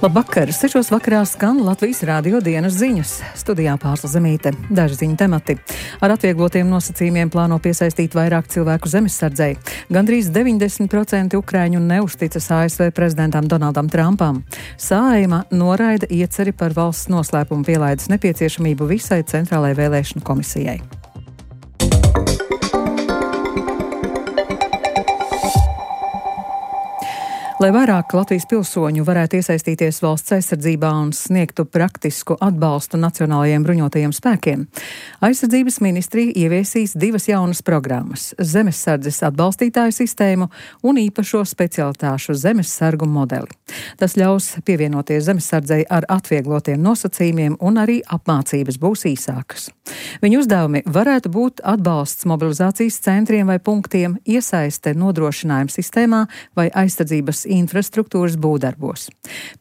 Labvakar! 6 vakarā skan Latvijas Rādio dienas ziņas. Studijā Pārsla Zemīte. Daži ziņu temati. Ar atvieglotiem nosacījumiem plāno piesaistīt vairāk cilvēku zemesardzei. Gandrīz 90% ukrāņu neuzticas ASV prezidentam Donaldam Trumpam. Saeima noraida ieceri par valsts noslēpumu pielaides nepieciešamību visai Centrālajai vēlēšanu komisijai. Lai vairāk Latvijas pilsoņu varētu iesaistīties valsts aizsardzībā un sniegtu praktisku atbalstu nacionālajiem bruņotajiem spēkiem, aizsardzības ministrija ieviesīs 2 jaunas programmas - zemessardzes atbalstītāju sistēmu un īpašo specialitāšu zemessargu modeli. Tas ļaus pievienoties zemessardzei ar atvieglotiem nosacījumiem un arī apmācības būs īsākas. Viņu uzdevumi varētu būt atbalsts mobilizācijas centriem vai punktiem, iesaiste nodrošinājuma sistēmā vai aizsardzības infrastruktūras būvdarbos.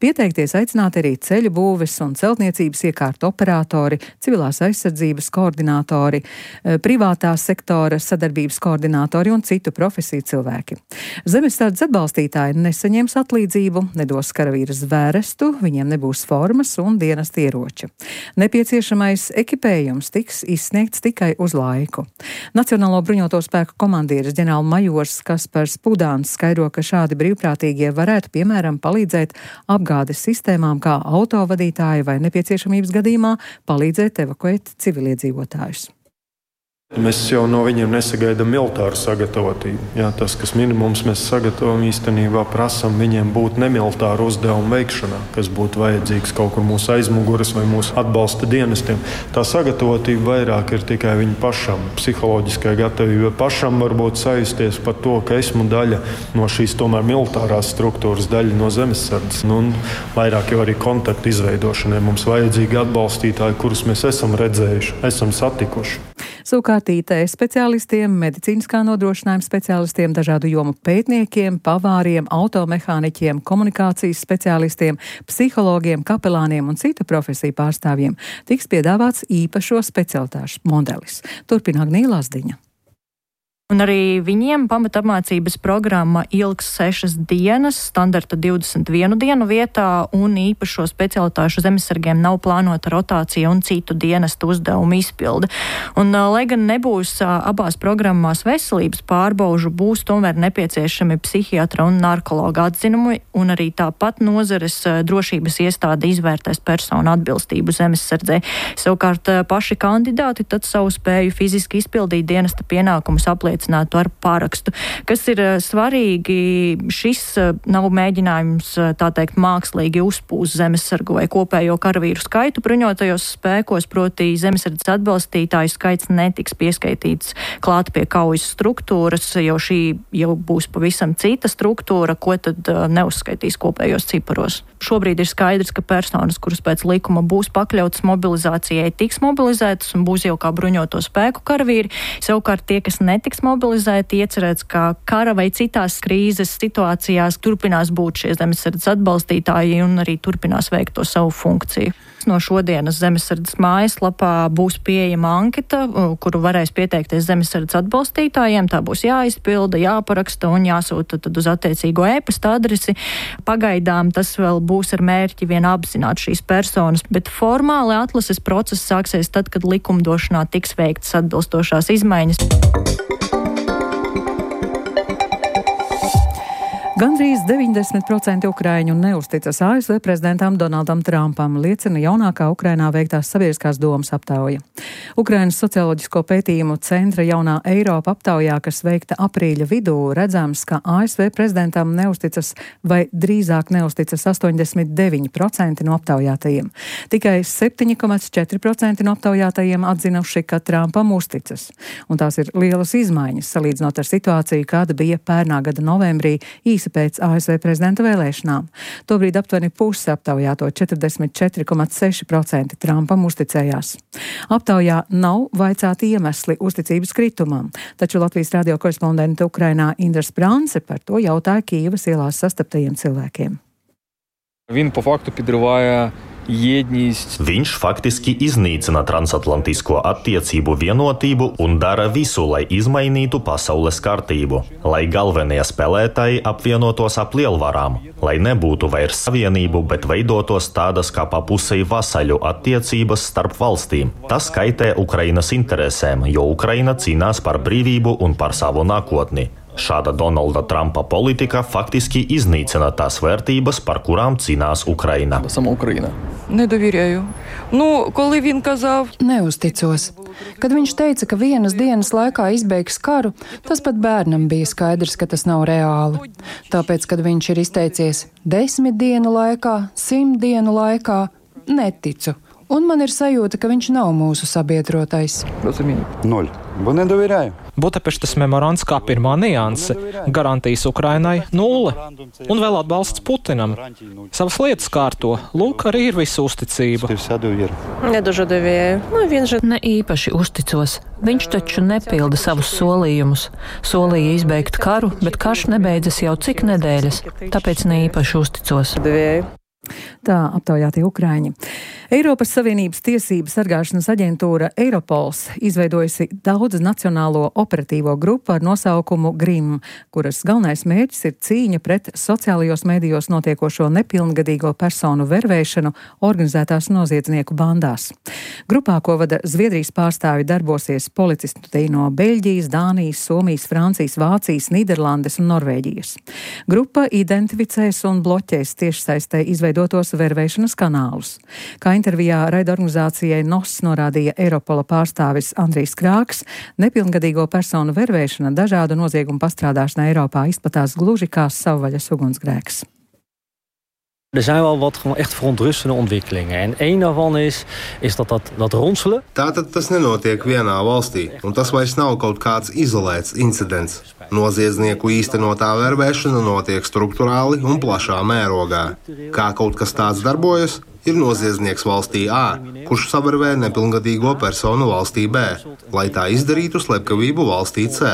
Pieteikties aicināti arī ceļu būves un celtniecības iekārtu operatori, civilās aizsardzības koordinātori, privātā sektora sadarbības koordinātori un citu profesiju cilvēki. Zemessardzes atbalstītāji nesaņems atlīdzību, nedos karavīra zvērestu, viņiem nebūs formas un dienesta ieroči. Nepieciešamais ekipējums tiks izsniegts tikai uz laiku. Nacionālo bruņoto spēku komandieris ģenerālmajors Kaspars Pudāns skaidro, ka šādi brīvprātīgi varētu, piemēram, palīdzēt apgādes sistēmām kā autovadītāji vai nepieciešamības gadījumā palīdzēt evakuēt civiliedzīvotājus. Mēs jau no viņiem nesagaidām militāru sagatavotību. Jā, tas, kas minimums mēs sagatavojam, īstenībā prasam viņiem būt nemilitāru uzdevumu veikšanā, kas būtu vajadzīgs kaut kur mūsu aizmuguras vai mūsu atbalsta dienestiem. Tā sagatavotība vairāk ir tikai viņu pašam, psiholoģiskai gatavībai pašam varbūt sajusties par to, ka esmu daļa no šīs tomēr militārās struktūras, daļa no zemessardzes. Un vairāk jau arī kontaktu izveidošanai mums vajadzīgi atbalstītāji, kurus mēs esam redzējuši, esam satikuši. Savukārt IT speciālistiem, medicīniskā nodrošinājuma speciālistiem, dažādu jomu pētniekiem, pavāriem, automehāniķiem, komunikācijas speciālistiem, psihologiem, kapelāniem un citu profesiju pārstāvjiem tiks piedāvāts īpašo specialitāšu modelis. Turpina Agnija Lazdiņa. Un arī viņiem pamatapmācības programma ilgs 6 dienas, standarta 21 dienu vietā, un īpašo specialitāšu zemesargiem nav plānota rotācija un citu dienestu uzdevumu izpilde. Un, lai gan nebūs abās programmās veselības pārbaužu, būs tomēr nepieciešami psihiatra un narkologa atzinumi, un arī tāpat nozares drošības iestāde izvērtēs personu atbilstību zemesardzē. Savukārt paši kandidāti tad savu spēju fiziski izpildīt dienesta pienākumus apliecinātu ar parakstu. Kas ir svarīgi, šis nav mēģinājums, tā teikt, mākslīgi uzpūst zemesargu vai kopējo karavīru skaitu bruņotajos spēkos, proti zemesardzes atbalstītāju skaits netiks pieskaitīts klāt pie kaujas struktūras, jo šī jau būs pavisam cita struktūra, ko tad neuzskaitīs kopējos ciparos. Šobrīd ir skaidrs, ka personas, kuras pēc likuma būs pakļautas mobilizācijai, tiks mobilizētas un būs jau kā bruņoto spēku karavīri. Savukārt tie, kas netiks mobilizēti, iecerēts, ka kara vai citās krīzes situācijās turpinās būt šie zemesardzes atbalstītāji un arī turpinās veikt to savu funkciju. No šodienas zemesardzes mājaslapā būs pieejama anketa, kuru varēs pieteikties zemesardzes atbalstītājiem. Tā būs jāizpilda, jāparaksta un jāsūta tad uz attiecīgo e-pasta adresi. Pagaidām tas vēl būs ar mērķi vien apzināt šīs personas, bet formāli atlases process sāksies tad, kad likumdošanā tiks veiktas atbilstošās izmaiņas. Gandrīz 90% ukrāņu neuzticas ASV prezidentam Donaldam Trumpam, liecina jaunākā Ukrainā veiktās sabiedriskās domas aptauja. Ukrainas socioloģisko pētījumu centra Jaunā Eiropa aptaujā, kas veikta aprīļa vidū, redzams, ka ASV prezidentam neuzticas vai drīzāk neuzticas 89% no aptaujātajiem. Tikai 7,4% no aptaujātajiem atzinuši, ka Trumpam uzticas. Un tās ir lielas izmaiņas, salīdzinot ar situāciju, kāda bija pērnā gada novembrī īsi pēc ASV prezidenta vēlēšanām. Tobrīd aptuveni pusi aptaujāto 44,6% Trumpam uzticējās. Aptaujā nav vaicāti iemesli uzticības kritumam, taču Latvijas radio korespondente Ukrainā Indra Sprānce par to jautāja Kijevas ielās sastaptajiem cilvēkiem. Він по факту підриває Viņš faktiski iznīcina transatlantisko attiecību vienotību un dara visu, lai izmainītu pasaules kārtību, lai galvenie spēlētāji apvienotos ap lielvarām, lai nebūtu vairs savienību, bet veidotos tādas kā pa pusei vasaļu attiecības starp valstīm. Tas kaitē Ukrainas interesēm, jo Ukraina cīnās par brīvību un par savu nākotni. Šāda Donalda Trumpa politika faktiski iznīcina tās vērtības, par kurām cīnās Ukraina. Недовіряю. Коли він казав... Neusticos. Kad viņš teica, ka vienas dienas laikā izbeigs karu, tas pat bērnam bija skaidrs, ka tas nav reāli. Tāpēc, kad viņš ir izteicies 10 dienu laikā, 100 dienu laikā, neticu. Un man ir sajūta, ka viņš nav mūsu sabiedrotais. 0. Бо не довіряю. Budapeštas memorands kā pirmā nianse, garantijas Ukrainai 0, un vēl atbalsts Putinam. Savas lietas kārto, lūk, arī ir visa uzticība. Ne īpaši uzticos. Viņš taču nepilda savus solījumus. Solīja izbeigt karu, bet karš nebeidzas jau cik nedēļas, tāpēc ne īpaši uzticos. Tā aptaujātie ukraiņi. Eiropas Savienības tiesību sargāšanas aģentūra Eiropols izveidojusi daudz nacionālo operatīvo grupu ar nosaukumu GRIM, kuras galvenais mērķis ir cīņa pret sociālajos medijos notiekošo nepilngadīgo personu vervēšanu organizētās noziedznieku bandās. Grupā, ko vada Zviedrijas pārstāvi, darbosies policisti no Beļģijas, Dānijas, Somijas, Francijas, Vācijas, Nīderlandes un Norvēģijas. Grupa identificēs un bloķēs tiešsaistē izveidotos vervēšanas kanālus. Kā intervijā raidorganizācijai NOS norādīja Eiropola pārstāvis Andrijs Krāks, nepilngadīgo personu vervēšana dažādu noziegumu pastrādāšanā Eiropā izplatās gluži kā savvaļas ugunsgrēks. zijn wel wat gewoon echt verontrustende ontwikkelingen. En één daarvan is dat ronselen. Tātad tas nenotiek vienā valstī, un tas vairs nav kaut kāds izolēts incidents. Noziedznieku īstenotā vervēšana notiek strukturāli un plašā mērogā. Kā kaut kas tāds darbojas? Ir noziedznieks valstī A, kurš savervē nepilngadīgo personu valstī B, lai tā izdarītu slepkavību valstī C.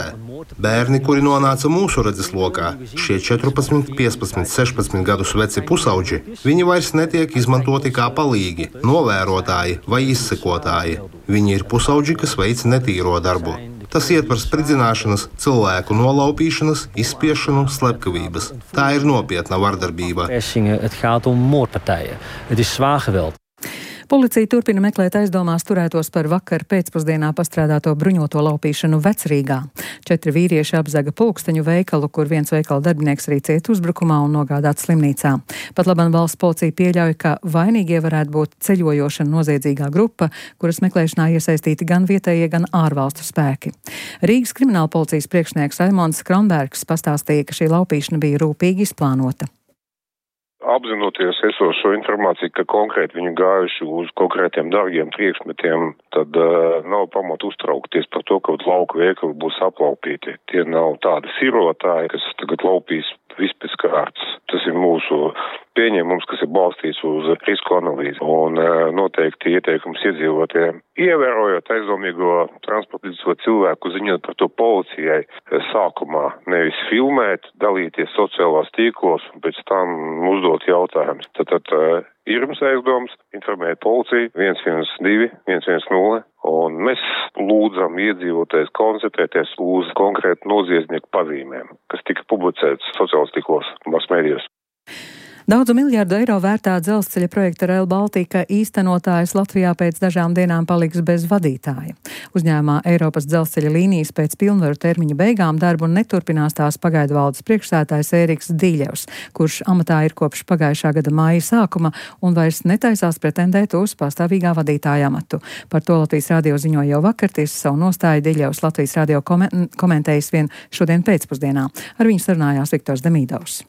Bērni, kuri nonāca mūsu redzeslokā, šie 14, 15, 16 gadus veci pusauģi, viņi vairs netiek izmantoti kā palīgi, novērotāji vai izsekotāji. Viņi ir pusauģi, kas veic netīro darbu. Tas ietver spridzināšanas, cilvēku nolaupīšanas, izspiešanu, slepkavības. Tā ir nopietna vardarbība. Policija turpina meklēt aizdomās turētos par vakar pēcpusdienā pastrādāto bruņoto laupīšanu Vecrīgā. 4 vīrieši apzaga pulksteņu veikalu, kur viens veikala darbinieks arī cieta uzbrukumā un nogādāts slimnīcā. Pat labam valsts policija pieļauj, ka vainīgie varētu būt ceļojoša noziedzīgā grupa, kuras meklēšanā iesaistīti gan vietējie, gan ārvalstu spēki. Rīgas krimināla policijas priekšnieks Raimonds Kronbergs pastāstīja, ka šī laupīšana bija rūpīgi izplānota. Apzinoties esošo informāciju, ka konkrēti viņi gājuši uz konkrētiem dārgiem priekšmetiem, tad nav pamata uztraukties par to, ka lauku veikali būs aplaupīti. Tie nav tādi sirotāji, kas tagad laupīs viss pēc kārtas. Tas ir mūsu pieņēmums, kas ir balstīts uz risku analīzi. Un noteikti ieteikums iedzīvotājiem, ievērojot aizdomīgo transportīto cilvēku, ziņot par to policijai sākumā, nevis filmēt, dalīties sociālās tīklos un pēc tam uzdot jautājumus. Tad ir jums aizdoms, informēt policiju 112, 110, un mēs lūdzam iedzīvotājus koncentrēties uz konkrētu noziedznieku pazīmēm, kas tika publicēts sociālās tīklos, masmēdijos. Daudzu miljardu eiro vērtā dzelzceļa projekta Rail Baltica īstenotājs Latvijā pēc dažām dienām paliks bez vadītāja. Uzņēmumā Eiropas dzelzceļa līnijas pēc pilnvaru termiņa beigām darbu neturpinās tās pagaidu valdes priekšsēdētājs Ēriks Dīļevs, kurš amatā ir kopš pagājušā gada māja sākuma un vairs netaisās pretendēt uz pastāvīgā vadītāja amatu. Par to Latvijas radio ziņoja jau vakar, tiesa savu nostāju Dīļevs Latvijas radio komentējis vien šodien pēcpusdienā. Ar viņu sarunājās Viktors Demīdovs.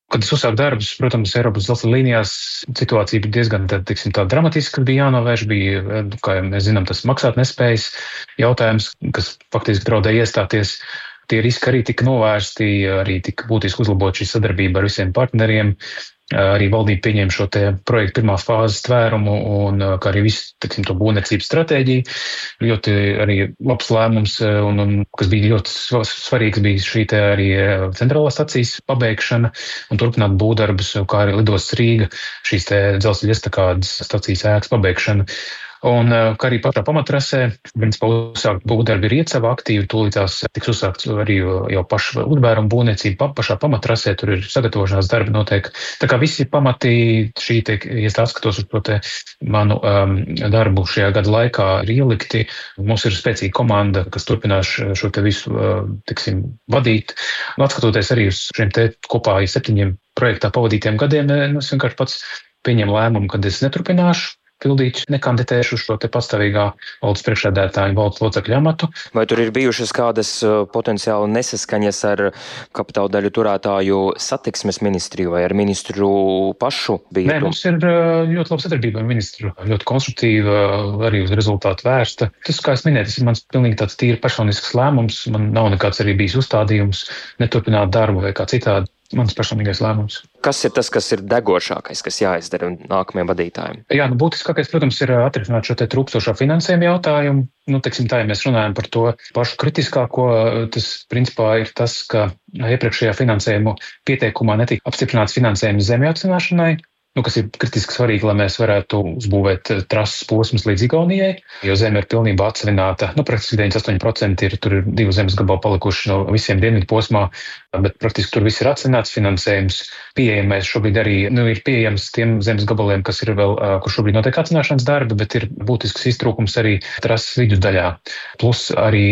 Kad es uzsāku darbus, protams, Eiropas dzelzceļa līnijās situācija bija diezgan tā dramatiska, kad bija jānovērš, bija, kā mēs zinām, tas maksāt nespējas jautājums, kas faktiski draudēja iestāties. Tie riski arī tika novērsti, arī tika būtiski uzlabot šī sadarbība ar visiem partneriem. Arī valdība pieņēma šo te projektu pirmās fāzes tvērumu un kā arī visu, teiksim, to būvniecības stratēģiju. Ļoti arī labs lēmums un kas bija ļoti svarīgs, bija šī te arī centrālās stacijas pabeigšana un turpināt būvdarbus, kā arī lidostas Rīga, šīs te dzelzceļa estakādes stacijas ēkas pabeigšana. Un kā arī pašā pamatrasē, principā uzsākt būvdarbi ir iecava aktīvi, tūlītās tiks uzsākts arī jau paša lidbēruma būvniecība pašā pamatrasē, tur ir sagatavošanās darbi notiek. Tā kā visi pamati šī te, ja atskatos uz to te manu darbu šajā gada laikā ir ielikti. Mums ir spēcīga komanda, kas turpinās šo te visu, tiksim, vadīt. Un atskatoties arī uz šiem te kopā 7 projektā pavadītiem gadiem, es vienkārši pats pieņemu lēmumu, kad es neturpināšu pildīt, nekandidēšu uz šo te pastāvīgā valdes priekšsēdētāju valdes locekļu amatu. Vai tur ir bijušas kādas potenciāli nesaskaņas ar kapitāla daļu turētāju satiksmes ministriju vai ar ministru pašu? Nē, mums ir ļoti laba sadarbība ar ministru, ļoti konstruktīva, arī uz rezultātu vērsta. Tas, kā es minēju, tas ir mans pilnīgi tāds tīri personisks lēmums. Man nav nekāds arī bijis uzstādījums neturpināt darbu vai kā citādi. Mans personīgais lēmums. Kas ir tas, kas ir degošākais, kas jāizdara nākamajiem vadītājiem? Jā, būtiskākais, protams, ir atrisināt šo te trūkstošo finansējumu jautājumu. Teiksim tā, ja mēs runājam par to pašu kritiskāko, tas principā ir tas, ka iepriekšējā finansējumu pieteikumā netika apstiprināts finansējums zemju atcināšanai. Kas ir kritiski svarīgi, lai mēs varētu uzbūvēt trases posmus līdz Igaunijai, jo zeme ir pilnībā atsavināta. Praktiski 98% tur ir 2 zemes gabali palikuši no visiem dienvidu posmā, bet praktiski tur viss ir atsavināts, finansējums pieejamais šobrīd arī ir pieejams tiem zemes gabaliem, kas ir vēl, kur šobrīd notiek atsavināšanas darbi, bet ir būtisks iztrūkums arī trases vidusdaļā. Plus arī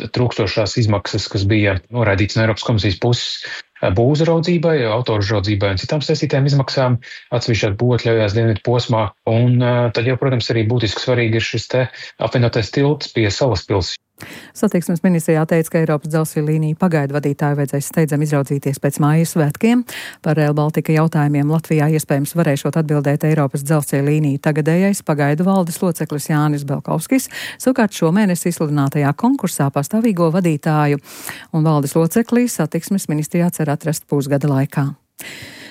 trūkstošās izmaksas, kas bija noraidīts no Eiropas komisijas puses, būvuzraudzībai, autouzraudzībai un citām saistītām izmaksām atsevišķās būvatļaujās dienvidu posmā. Un tad jau, protams, arī būtiski svarīgi ir šis te apvienotais tilts pie Salaspils. Satiksmes ministrijā teica, ka Eiropas dzelzceļa līniju pagaidu vadītāju vajadzēs steidzami izraudzīties pēc mājas svētkiem. Par Rail Baltica jautājumiem Latvijā iespējams varēšot atbildēt Eiropas dzelzceļa līniju tagadējais pagaidu valdes loceklis Jānis Belkovskis. Savukārt šomēnes izsludinātajā konkursā pastāvīgo vadītāju un valdes locekli satiksmes ministrijā cer atrast pusgada laikā.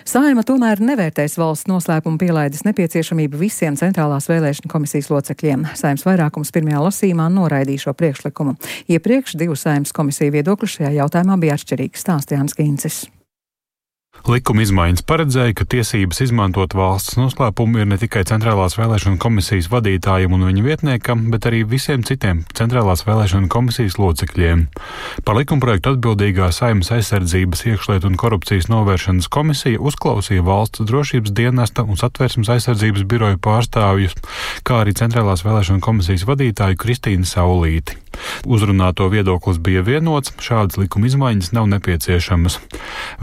Saeima tomēr nevērtēs valsts noslēpuma pielaides nepieciešamību visiem centrālās vēlēšana komisijas locekļiem. Saeimas vairākums pirmajā lasījumā noraidīja šo priekšlikumu. Iepriekš 2 Saeimas komisiju viedokļi šajā jautājumā bija atšķirīgi, stāsta Jānis Gincis. Likuma izmaiņas paredzēja, ka tiesības izmantot valsts noslēpumu ir ne tikai centrālās vēlēšana komisijas vadītājiem un viņa vietniekam, bet arī visiem citiem centrālās vēlēšana komisijas locekļiem. Par likumprojektu atbildīgā Saeimas aizsardzības, iekšlietu un korupcijas novēršanas komisija uzklausīja valsts drošības dienesta un satversmes aizsardzības biroju pārstāvjus, kā arī centrālās vēlēšana komisijas vadītāju Kristīnu Saulīti. Uzrunāto viedoklis bija vienots, šādas likuma izmaiņas nav nepieciešamas.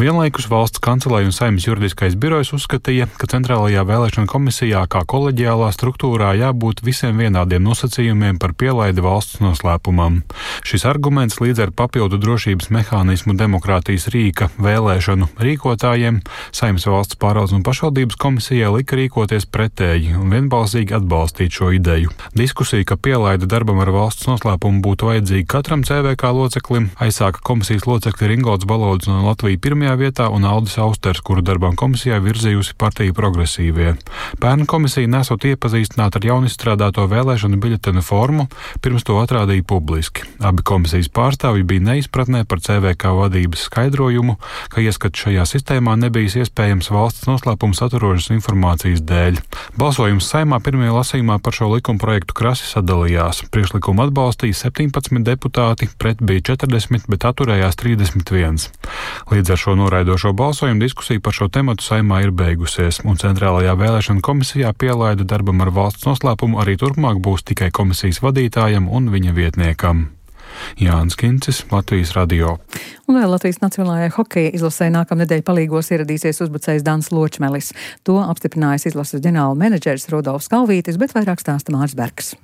Vienlaikus valsts kancelei un Saeimas juridiskais birojs uzskatīja, ka centrālajā vēlēšana komisijā kā koleģiālā struktūrā jābūt visiem vienādiem nosacījumiem par pielaidi valsts noslēpumam. Šis arguments līdz ar papildu drošības mehānismu demokrātijas rīka vēlēšanu rīkotājiem Saeimas valsts pārvaldes un pašvaldības komisijai lika rīkoties pretēji un vienbalsīgi atbalstīt šo ideju. Diskusija, ka pielaide darbam ar valsts noslēpumu būtu vajadzīga katram CVK loceklim, aizsāka komisijas locekļi Ringolds Balodis no Latvijas pirmajā vietā un Aldis Austers, kuru darbam komisijā virzījusi partija Progresīvie. Pērn komisija nesot iepazīstināt ar jaunizstrādāto vēlēšanu biļetenu formu, pirms to atrādīja publiski. Abi komisijas pārstāvji bija neizpratnē par CVK vadības skaidrojumu, ka ieskats šajā sistēmā nebijis iespējams valsts noslēpuma saturošas informācijas dēļ. Balsojums Saeimā pirmajā lasījumā par šo likumprojektu krasi sadalījās. Priekšlikumu atbalstīja 17 deputāti, pret bija 40, bet atturējās 31. Līdz ar šo noraidošo balsojumu diskusija par šo tematu Saeimā ir beigusies, un centrālajā vēlēšana komisijā pielaide darbam ar valsts noslēpumu arī turpmāk būs tikai komisijas vadītājam un viņa vietniekam. Jānis Kincis, Latvijas radio. Un vēl Latvijas Nacionālajai hokeja izlasē nākamnedēļ palīgos ieradīsies uzbrucējs Dans Ločmelis. To apstiprinājis izlases ģenerāla menedžeris Rudolfs Kalvītis, bet vairāk stāsta Māris Bergs.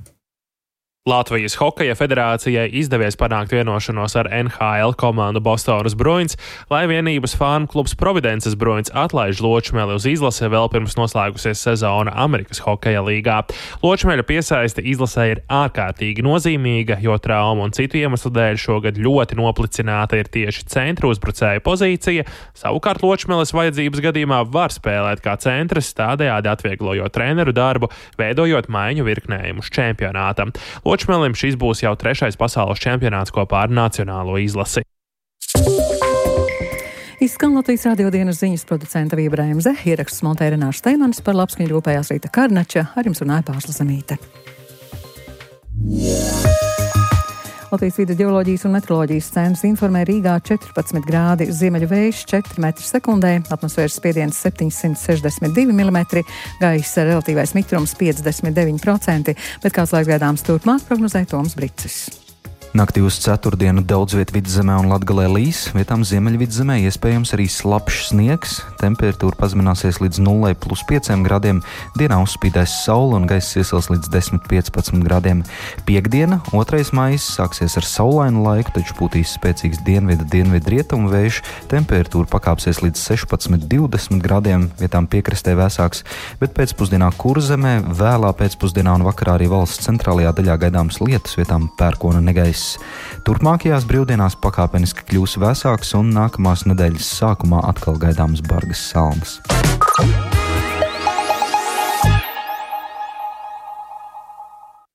Latvijas Hokeja federācijai izdevies panākt vienošanos ar NHL komandu Bostonas Bruins, lai vienības fānu klubs Providences Bruins atlaiž Ločmeli uz izlasi vēl pirms noslēgusies sezona Amerikas Hokeja līgā. Ločmeļa piesaiste izlasē ir ārkārtīgi nozīmīga, jo traumu un citu iemeslu dēļ šogad ļoti noplicināta ir tieši centra uzbrucēja pozīcija. Savukārt Ločmeles vajadzības gadījumā var spēlēt kā centrs, tādējādi atvieglojot treneru darbu, veidojot maiņu virknējumu uz čempionātam. Ločmelim šis būs jau 3. pasaules čempionāts kopā ar nacionālo izlasi. Izskan Latvijas radio dienas ziņas producenta Vība Reimze, ierakstus montē Renāša Steimanis, par labskaņu rūpējās Rīta Karnača, ar jums runāja Pārsla Zemīte. Latvijas vides ģeoloģijas un meteoroloģijas centrs informē Rīgā 14 grādi, ziemeļu vējš 4 metri sekundē, atmosfēras spiediens 762 mm, gaisa relatīvais mitrums 59%, bet kāds laiks gaidāms turpmāk prognozē Toms Bricis. Naktī uz ceturtdienu daudz viet Vidzemē un Latgalē līs, vietām Ziemeļvidzemē iespējams arī slapjš sniegs, temperatūra pazemināsies līdz 0,5 grādiem, dienā uzspīdēs saule un gaiss iesils līdz 10-15 grādiem. Piektdiena, 2. maijs, sāksies ar saulainu laiku, taču pūtīs spēcīgs dienvidu-rietumu vējš, temperatūra pakāpsies līdz 16-20 grādiem, vietām piekrastē vēsāks, bet pēcpusdienā Kurzemē, vēlā pēcpusdienā un vakarā arī valsts centrālajā daļā gaidāms lietus, vietām pērkona negaiss. Turpmākajās brīvdienās pakāpeniski kļūs vēsāks un nākamās nedēļas sākumā atkal gaidāmas bargas salnas.